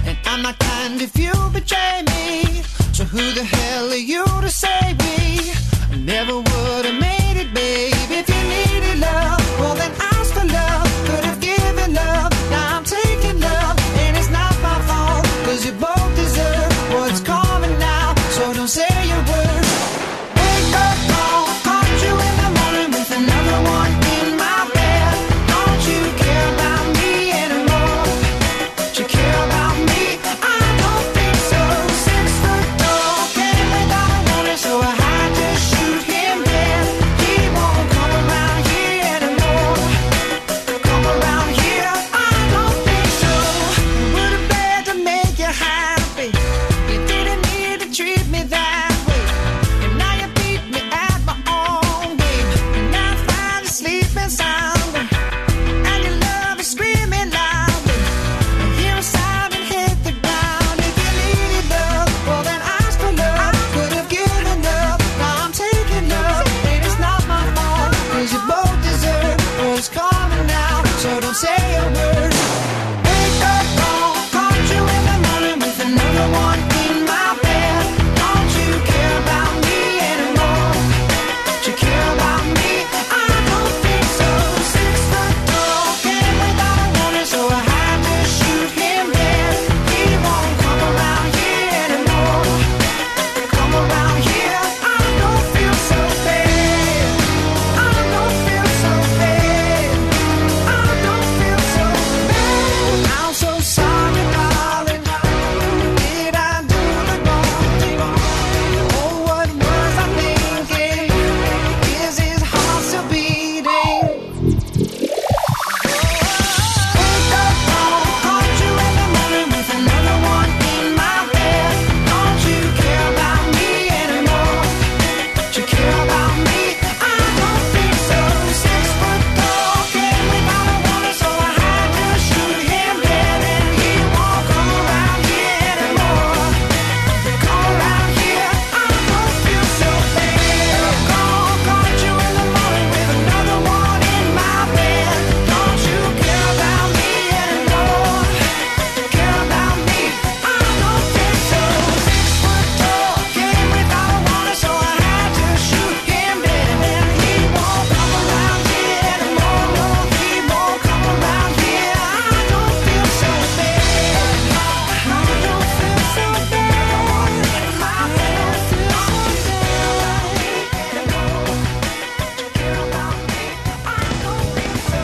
And I'm not kind if you betray me. So who the hell are you to save me? I never would have made it, babe. If you needed love, well then ask for love. Could have given love, now I'm taking love. And it's not my fault, cause you both deserve what's coming now. So don't say a word. Wake up, oh, caught you in the morning with another one in my bed. Don't you care about me anymore? Don't you care about me? I don't think so. Six foot tall, came without a warning, so I had to shoot him dead. He won't come around here anymore. Come around here, I don't think so. Would have been to make you happy. You didn't need to treat me that way. And now you beat me at my own game. And now I'm finally sleeping soundly. And your love is screaming loudly. I hear a sound and hit the ground. If you needed love, well then ask for love. I could have given love, now I'm taking love. And it's not my fault, cause you both deserve what's coming now. So don't say a word. Wake up, oh, caught you in the morning with another one in my bed. Don't you care about me anymore? Don't you care about me? I don't think so. Six foot tall, came without a warning, so I had to shoot him dead. He won't come around here anymore. Come around here, I don't feel so bad. I don't feel so bad. I don't feel so bad. I'm so sorry, darling. Did I do the wrong thing? Oh, what was I thinking? Is his heart still beating? Wake up, oh, caught you in the morning with another one in my bed. Don't you care about me anymore? Don't you care about me? I don't think so. Six foot tall, came without a warning, so I had to shoot him dead. And he won't come around here anymore. Come around here, I don't feel so bad. Gone, caught you in the morning with another one in my bed. Don't you care about me anymore? Care about me? I don't think so. Six foot tall, came without a warning, so I had to shoot him dead. And he won't come around here anymore. No, he won't come around here. I don't feel so bad. I don't feel so bad. I don't feel so bad anymore. Care about me? I don't feel so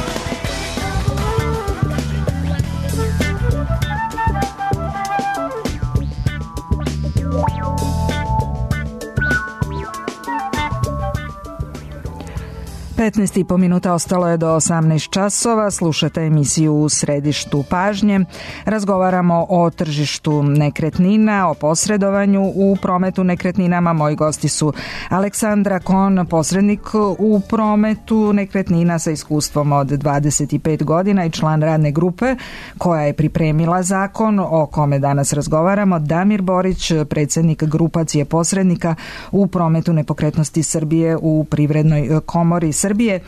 petnaest i po minuta ostalo je do osamnaest časova. Slušate emisiju U središtu pažnje. Razgovaramo o tržištu nekretnina, o posredovanju u prometu nekretninama. Moji gosti su Aleksandra Kon, posrednik u prometu nekretnina sa iskustvom od dvadeset pet godina i član radne grupe koja je pripremila zakon o kome danas razgovaramo. Damir Borić, predsjednik grupacije posrednika u prometu nepokretnosti Srbije u Privrednoj komori Srbije. Srbije.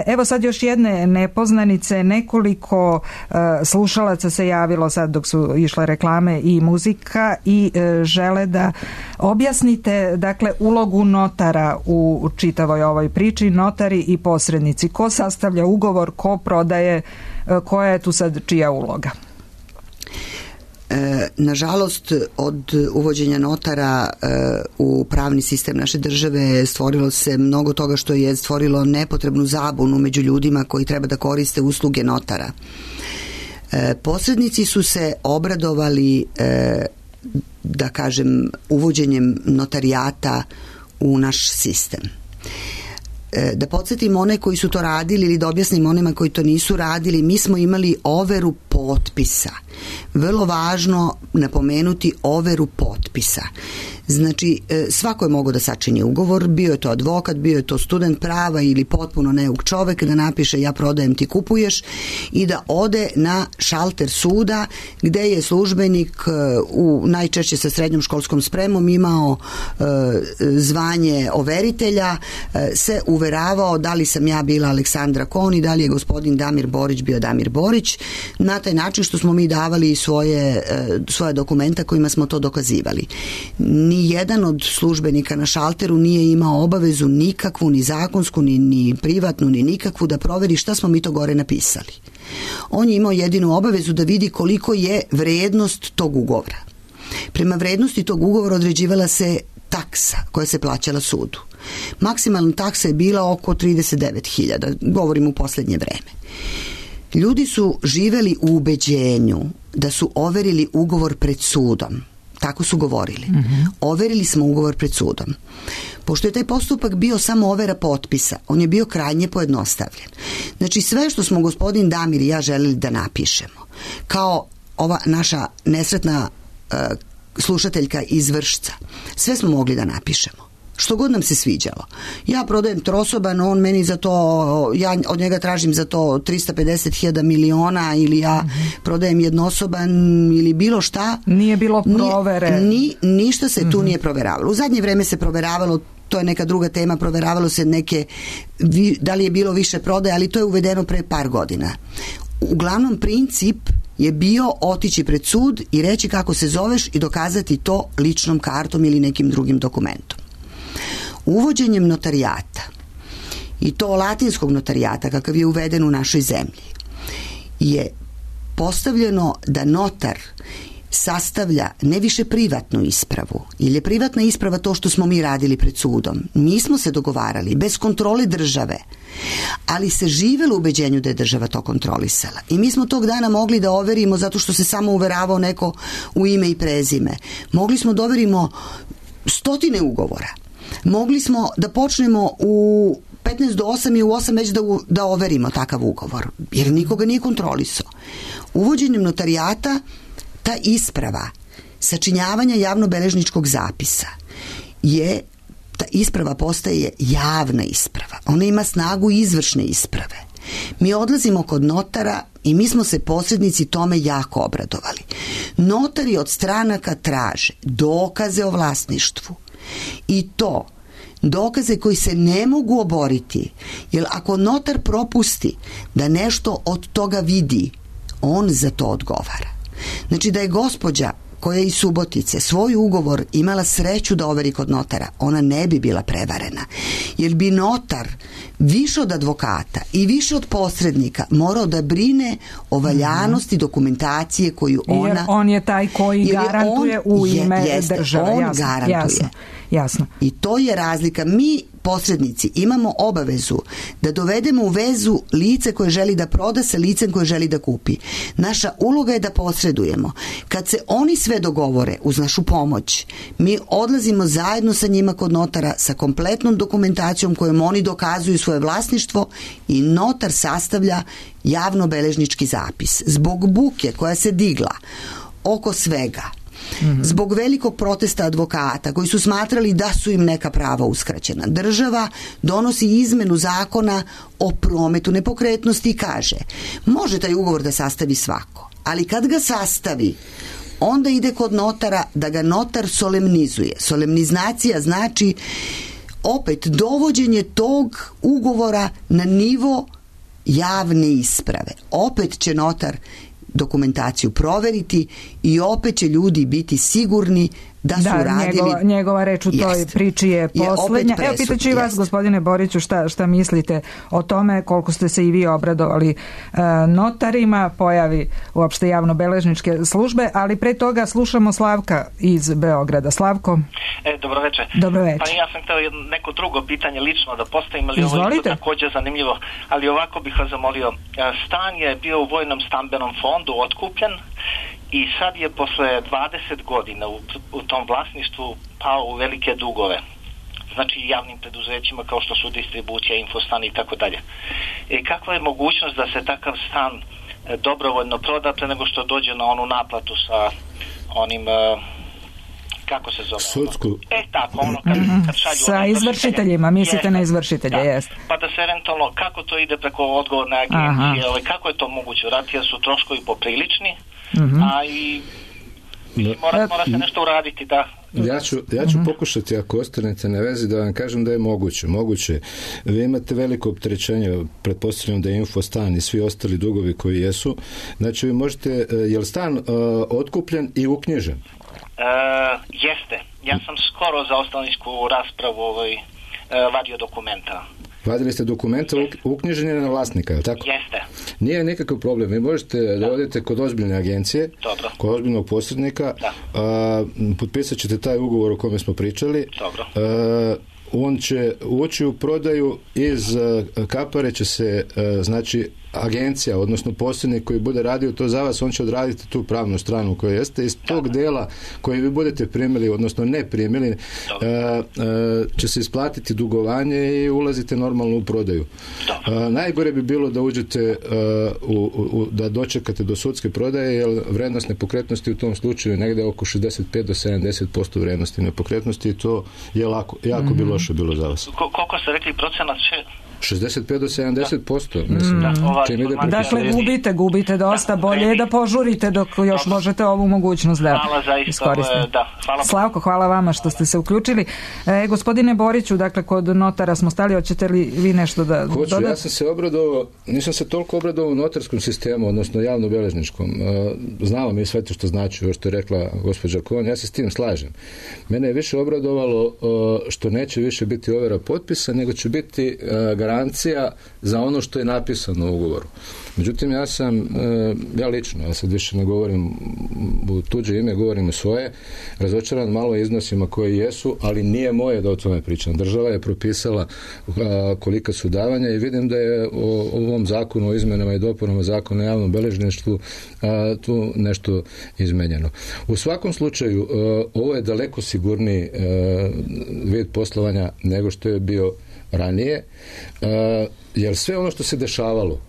Evo sad još jedne nepoznanice, nekoliko slušalaca se javilo sad dok su išle reklame i muzika i žele da objasnite dakle ulogu notara u čitavoj ovoj priči, notari i posrednici. Ko sastavlja ugovor, ko prodaje, koja je tu sad čija uloga? E, nažalost, od uvođenja notara e, u pravni sistem naše države stvorilo se mnogo toga što je stvorilo nepotrebnu zabunu među ljudima koji treba da koriste usluge notara. E, posrednici su se obradovali e, da kažem uvođenjem notarijata u naš sistem. Da podsjetim one koji su to radili ili da objasnim onima koji to nisu radili, mi smo imali overu potpisa. Vrlo važno napomenuti overu potpisa. Znači, svako je mogao da sačini ugovor, bio je to advokat, bio je to student prava ili potpuno neuk čovek, da napiše ja prodajem, ti kupuješ i da ode na šalter suda gde je službenik u najčešće sa srednjom školskom spremom imao e, zvanje overitelja, e, se uveravao da li sam ja bila Aleksandra Kon i da li je gospodin Damir Borić bio Damir Borić, na taj način što smo mi davali svoje, e, svoje dokumenta kojima smo to dokazivali. Ni jedan od službenika na šalteru nije imao obavezu nikakvu, ni zakonsku, ni, ni privatnu, ni nikakvu da proveri šta smo mi to gore napisali. On je imao jedinu obavezu da vidi koliko je vrednost tog ugovora. Prema vrednosti tog ugovora određivala se taksa koja se plaćala sudu. Maksimalna taksa je bila oko trideset devet hiljada, govorim u poslednje vreme. Ljudi su živeli u ubeđenju da su overili ugovor pred sudom. Tako su govorili. Mm-hmm. Overili smo ugovor pred sudom. Pošto je taj postupak bio samo overa potpisa, on je bio krajnje pojednostavljen. Znači sve što smo gospodin Damir i ja želeli da napišemo, kao ova naša nesretna uh, slušateljka iz Vršca, sve smo mogli da napišemo. Što god nam se sviđalo. Ja prodajem trosoban, on meni za to, ja od njega tražim za to tristo pedeset hiljada miliona ili ja mm-hmm. prodajem jednosoban ili bilo šta. Nije bilo provere. Ni, ništa se mm-hmm. tu nije proveravalo. U zadnje vreme se proveravalo, to je neka druga tema, proveravalo se neke, da li je bilo više prodaje, ali to je uvedeno pre par godina. Uglavnom princip je bio otići pred sud i reći kako se zoveš i dokazati to ličnom kartom ili nekim drugim dokumentom. Uvođenjem notarijata, i to latinskog notarijata kakav je uveden u našoj zemlji, je postavljeno da notar sastavlja ne više privatnu ispravu, ili je privatna isprava to što smo mi radili pred sudom. Mi smo se dogovarali bez kontrole države, ali se živelo u ubeđenju da je država to kontrolisala. I mi smo tog dana mogli da overimo zato što se samo uveravao neko u ime i prezime. Mogli smo da overimo stotine ugovora. Mogli smo da počnemo u petnaest do osam i u osam već da, u, da overimo takav ugovor, jer nikoga nije kontrolisao. Uvođenjem notarijata ta isprava sačinjavanja javnobeležničkog zapisa je, ta isprava postaje javna isprava. Ona ima snagu izvršne isprave. Mi odlazimo kod notara i mi smo se posrednici tome jako obradovali. Notari od stranaka traže dokaze o vlasništvu. I to dokaze koji se ne mogu oboriti, jer ako notar propusti da nešto od toga vidi, on za to odgovara. Znači da je gospođa koja je iz Subotice svoj ugovor imala sreću da overi kod notara, ona ne bi bila prevarena. Jer bi notar više od advokata i više od posrednika morao da brine o valjanosti dokumentacije koju ona... Jer on je taj koji garantuje on, u ime je, jeste, države. On jasno, garantuje. Jasno, jasno. I to je razlika. Mi, posrednici, imamo obavezu da dovedemo u vezu lice koje želi da proda sa licem koje želi da kupi. Naša uloga je da posredujemo. Kad se oni sve dogovore uz našu pomoć, mi odlazimo zajedno sa njima kod notara sa kompletnom dokumentacijom kojom oni dokazuju svoje vlasništvo i notar sastavlja javnobeležnički zapis. Zbog buke koja se digla oko svega, Mm-hmm. zbog velikog protesta advokata koji su smatrali da su im neka prava uskraćena, država donosi izmenu zakona o prometu nepokretnosti i kaže može taj ugovor da sastavi svako, ali kad ga sastavi onda ide kod notara da ga notar solemnizuje. Solemnizacija znači opet dovođenje tog ugovora na nivo javne isprave. Opet će notar dokumentaciju proveriti i opet će ljudi biti sigurni da su da, radili... Njegova, njegova reč u toj jest. priči je poslednja. Evo, pitaću i vas, gospodine Boriću, šta, šta mislite o tome, koliko ste se i vi obradovali e, notarima, pojavi uopšte javno-beležničke službe, ali pre toga slušamo Slavka iz Beograda. Slavko? E, dobro večer. Dobro večer. Pa ja sam htio neko drugo pitanje lično da postavim, ali Izvolite. ovo je također zanimljivo, ali ovako bih vas zamolio. Stan je bio u vojnom stambenom fondu otkupljen i sad je posle dvadeset godina u, u tom vlasništvu pao u velike dugove. Znači javnim preduzećima kao što su distribucija, infostan i tako dalje. I kakva je mogućnost da se takav stan dobrovoljno proda pre nego što dođe na onu naplatu sa onim... kako se zove? Sudsku. E tako, ono kad, kad šalju... Sa izvršiteljima, mislite jest, na izvršitelje, da. jest. Pa da se eventualno, kako to ide preko odgovorne agencije, ovaj, kako je to moguće uraditi, jer su troškovi poprilični, uh-huh. a i mora, mora se nešto uraditi, da... Ja ću, ja ću pokušati, ako ostanete na vezi, da vam kažem da je moguće. Moguće. Vi imate veliko opterećenje, pretpostavljam da je infostan i svi ostali dugovi koji jesu. Znači, vi možete, je li stan uh, otkupljen i uknjižen? Uh, jeste. Ja sam skoro za ostavinsku raspravu ovaj, uh, vadio dokumenta. Vadili ste dokumenta, uknjižen je na vlasnika, je li tako? Jeste. Nije nikakav problem. Vi možete da, da odete kod ozbiljne agencije, dobro. Kod ozbiljnog posrednika, a, potpisat ćete taj ugovor o kome smo pričali. Dobro. A, on će ući u prodaju, iz kapare će se, znači, agencija, odnosno posrednik koji bude radio to za vas, on će odraditi tu pravnu stranu koja jeste. Iz tog dela koji vi budete primili, odnosno ne primili, uh, uh, će se isplatiti dugovanje i ulazite normalno u prodaju. Uh, najgore bi bilo da uđete, uh, u, u, da dočekate do sudske prodaje, jer vrednost nepokretnosti u tom slučaju je negde oko šezdeset pet do sedamdeset posto vrednosti nepokretnosti i to je lako, jako mm-hmm. bi loše bilo za vas. Ko, koliko ste rekli procenat će? šezdeset pet do sedamdeset posto, mislim. Da, ovaj, dakle, gubite, gubite dosta. Bolje je da požurite dok još možete ovu mogućnost da iskoristite. Da, hvala. Slavko, hvala vama što ste se uključili. E, gospodine Boriću, dakle, kod notara smo stali, hoćete li vi nešto da Hoću, dodate? ja sam se obradovao, nisam se toliko obradovao u notarskom sistemu, odnosno javno-beležničkom. Znala mi sve to što znači, ovo što je rekla gospođa Kon, ja se s tim slažem. Mene je više obradovalo što neće više biti overa potpisa, nego će biti garancija za ono što je napisano u ugovoru. Međutim, ja sam, ja lično, ja sad više ne govorim u tuđe ime, govorim u svoje, razočaran malo iznosima koji jesu, ali nije moje da o tome pričam. Država je propisala kolika su davanja i vidim da je o ovom zakonu o izmenama i dopunama zakona o javnom beležništvu tu nešto izmenjeno. U svakom slučaju, ovo je daleko sigurniji vid poslovanja nego što je bio ranije, jer sve ono što se dešavalo,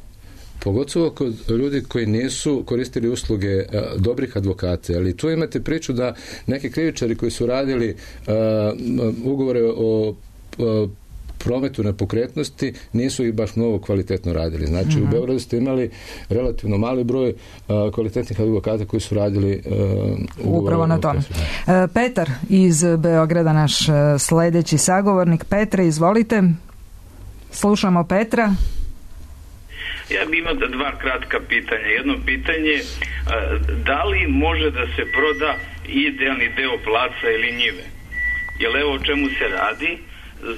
pogotovo kod ljudi koji nisu koristili usluge dobrih advokata, ali tu imate priču da neki krivičari koji su radili ugovore o prometu nepokretnosti nisu ih baš mnogo kvalitetno radili. Znači, uh-huh. u Beogradu ste imali relativno mali broj uh, kvalitetnih advokata koji su radili uh, upravo na tome. Uh, Petar iz Beograda, naš uh, sledeći sagovornik. Petre, izvolite. Slušamo Petra. Ja bih imao dva kratka pitanja. Jedno pitanje, da li može da se proda idealni deo placa ili njive? Jer evo o čemu se radi.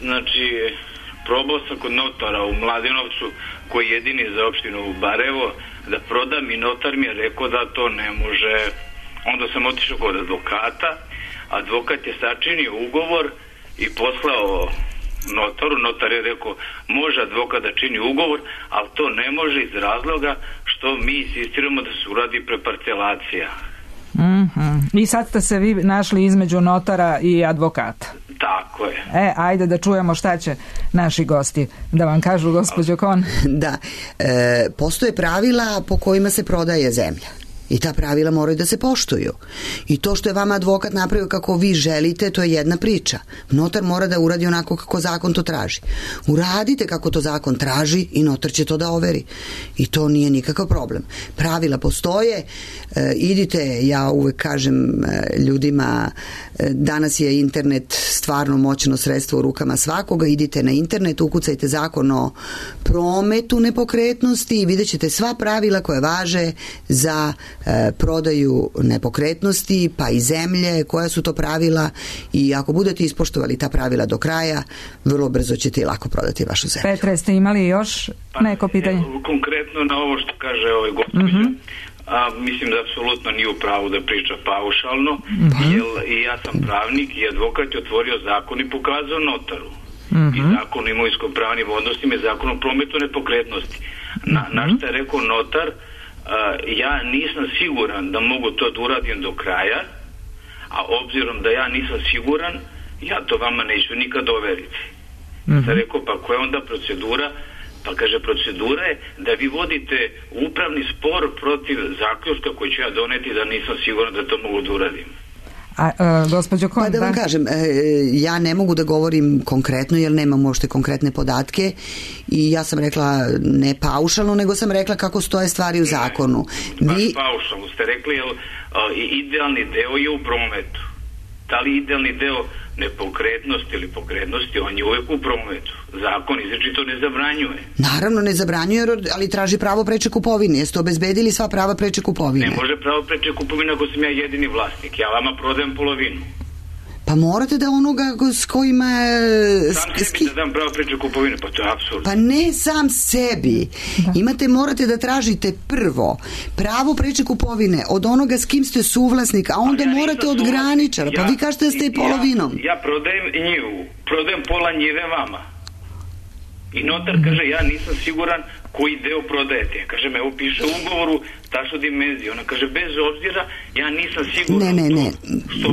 Znači, probao sam kod notara u Mladenovcu, koji je jedini za opštinu u Barajevo, da prodam i notar mi je rekao da to ne može. Onda sam otišao kod advokata, advokat je sačinio ugovor i poslao notaru, notar je rekao može advokat da čini ugovor, ali to ne može iz razloga što mi insistiramo da se uradi preparcelacija. Mm-hmm. I sad ste se vi našli između notara i advokata. Tako je. E, ajde da čujemo šta će naši gosti da vam kažu, gospođo Kon. Da, e, postoje pravila po kojima se prodaje zemlja. I ta pravila moraju da se poštuju. I to što je vama advokat napravio kako vi želite, to je jedna priča. Notar mora da uradi onako kako zakon to traži. Uradite kako to zakon traži i notar će to da overi. I to nije nikakav problem. Pravila postoje, e, idite, ja uvek kažem e, ljudima, e, danas je internet stvarno moćno sredstvo u rukama svakoga, idite na internet, ukucajte zakon o prometu nepokretnosti i vidjet ćete sva pravila koje važe za e, prodaju nepokretnosti, pa i zemlje, koja su to pravila, i ako budete ispoštovali ta pravila do kraja, vrlo brzo ćete i lako prodati vašu zemlju. Petre, ste imali još neko pitanje? Pa, konkretno na ovo što kaže ovaj gospođa, mm-hmm. a, mislim da apsolutno nije u pravu da priča paušalno, mm-hmm. jer i ja sam pravnik i advokat je otvorio zakon i pokazao notaru. Mm-hmm. I zakon o imovinsko-pravnim odnosima i zakon o prometu nepokretnosti. Na, mm-hmm. na što je rekao notar, a, ja nisam siguran da mogu to da uradim do kraja, a obzirom da ja nisam siguran, ja to vama neću nikad overiti. Mm-hmm. Sam rekao, pa koja je onda procedura? Pa kaže, procedura je da vi vodite upravni spor protiv zaključka koji ću ja doneti da nisam siguran da to mogu da uradim. A, a, gospođo Kon, pa da vam da? kažem, ja ne mogu da govorim konkretno jer nemam uopšte konkretne podatke i ja sam rekla ne paušalno, nego sam rekla kako stoje stvari u zakonu. Ne, baš vi... paušalno ste rekli, jer idealni deo je u prometu. Da li idealni deo nepokretnosti ili pokretnosti, on je uvek u prometu. Zakon izričito ne zabranjuje. Naravno ne zabranjuje, ali traži pravo preče kupovine. Jeste obezbedili sva prava preče kupovine? Ne može pravo preče kupovine ako sam ja jedini vlasnik. Ja vama prodajem polovinu. Pa morate da onoga s kojima... Sam sebi ski... da dam pravo preče kupovine, pa to je apsurd. Pa ne sam sebi. Da. Imate, morate da tražite prvo pravo preče kupovine od onoga s kim ste suvlasnik, a onda ja morate od graničara. Ja, pa vi kažete da ste i polovinom. Ja, ja prodajem njivu, prodajem pola njive vama. I notar kaže, ja nisam siguran koji deo prodajete. Ja kažem, evo piše u ugovoru tačnu dimenziju. Ona kaže, bez obzira, ja nisam siguran. Ne, ne, ne,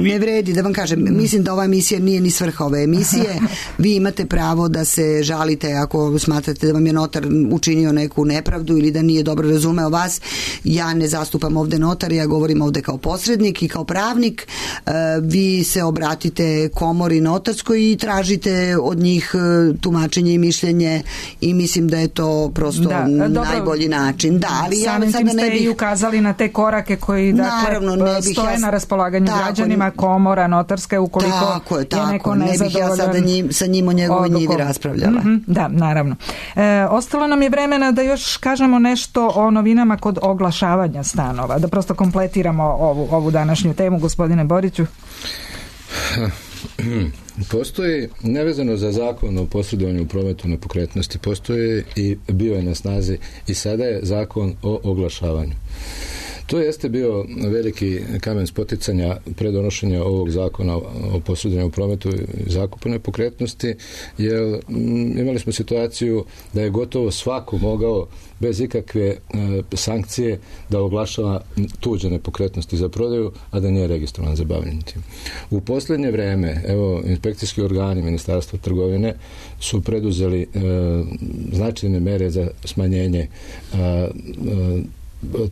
ne vredi da vam kažem. Mislim da ova emisija nije ni svrha ove emisije. Vi imate pravo da se žalite ako smatrate da vam je notar učinio neku nepravdu ili da nije dobro razumeo vas. Ja ne zastupam ovde notar, ja govorim ovde kao posrednik i kao pravnik. Vi se obratite komori notarskoj i tražite od njih tumačenje i mišljenje i mislim da je to prosto da, najbolji način. Da, ali ja sada ne bih... i ukazali na te korake koji dakle, naravno, ne bih stoje ja... na raspolaganju tako, građanima, komora, notarske, ukoliko tako je, tako, je neko ne bih ja sada njim, sa njim o njegovoj njivi raspravljala. Mm-hmm, da, naravno. E, ostalo nam je vremena da još kažemo nešto o novinama kod oglašavanja stanova, da prosto kompletiramo ovu, ovu današnju temu, gospodine Boriću. Postoji, nevezano za zakon o posredovanju u prometu nepokretnosti, postoji i bio je na snazi i sada je zakon o oglašavanju. To jeste bio veliki kamen spoticanja pre donošenja ovog zakona o posredovanju u prometu i zakupu nepokretnosti, jer imali smo situaciju da je gotovo svako mogao bez ikakve e, sankcije da oglašava tuđe nepokretnosti za prodaju, a da nije registrovan za bavljenje tim. U posljednje vreme, evo, inspekcijski organi Ministarstva trgovine su preduzeli e, značajne mere za smanjenje e, e,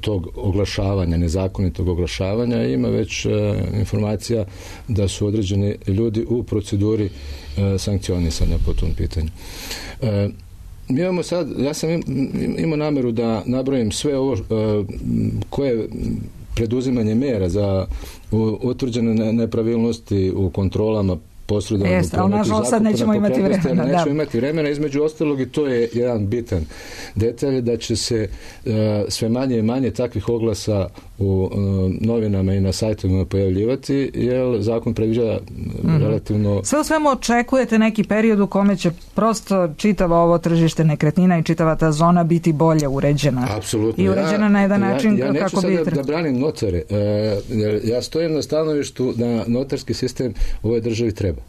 tog oglašavanja, nezakonitog oglašavanja. Ima već e, informacija da su određeni ljudi u proceduri e, sankcionisanja po tom pitanju. E, mi imamo sad, ja sam im, imao nameru da nabrojim sve ovo e, koje preduzimanje mera za utvrđene nepravilnosti u kontrolama posredovanja u prometu zakupa sad nećemo imati vremena. Nećemo da. imati vremena, između ostalog i to je jedan bitan detalj, da će se uh, sve manje i manje takvih oglasa u uh, novinama i na sajtovima pojavljivati, jer zakon predviđa mm-hmm. relativno... Sve u svemu očekujete neki period u kome će prosto čitavo ovo tržište nekretnina i čitava ta zona biti bolje uređena. Apsolutno. I uređena ja, na jedan način ja, ja kako bi... Ja neću sad da, da branim notare. Uh, ja stojim na stanovištu da notarski sistem u ovoj državi treba.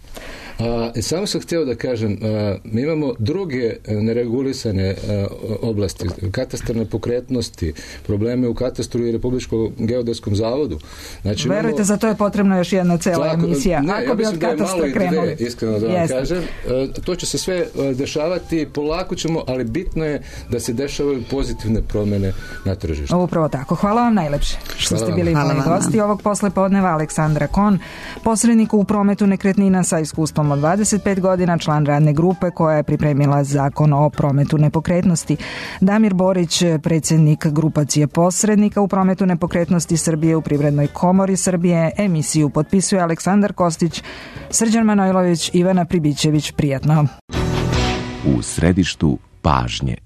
A, samo sam htio da kažem, a, mi imamo druge neregulisane a, oblasti, katastar nepokretnosti, probleme u katastru i Republičkom geodetskom zavodu. Znači, verujte, imamo, za to je potrebna još jedna cela tako, emisija. Ne, Ako ja bi od katastra da krenuli. Dve, iskreno da vam Jeste. kažem. A, to će se sve a, dešavati, polako ćemo, ali bitno je da se dešavaju pozitivne promene na tržištu. Upravo tako. Hvala vam najlepše što Hvala ste bili vam. moji Hvala gosti ovog poslepodneva. Aleksandra Kon, posrednik u prometu nekretnina sa iskustvom od dvadeset pet godina, član radne grupe koja je pripremila zakon o prometu nepokretnosti. Damir Borić, predsjednik grupacije posrednika u prometu nepokretnosti Srbije u Privrednoj komori Srbije. Emisiju potpisuje Aleksandar Kostić, Srđan Manojlović, Ivana Pribićević. Prijatno. U središtu pažnje.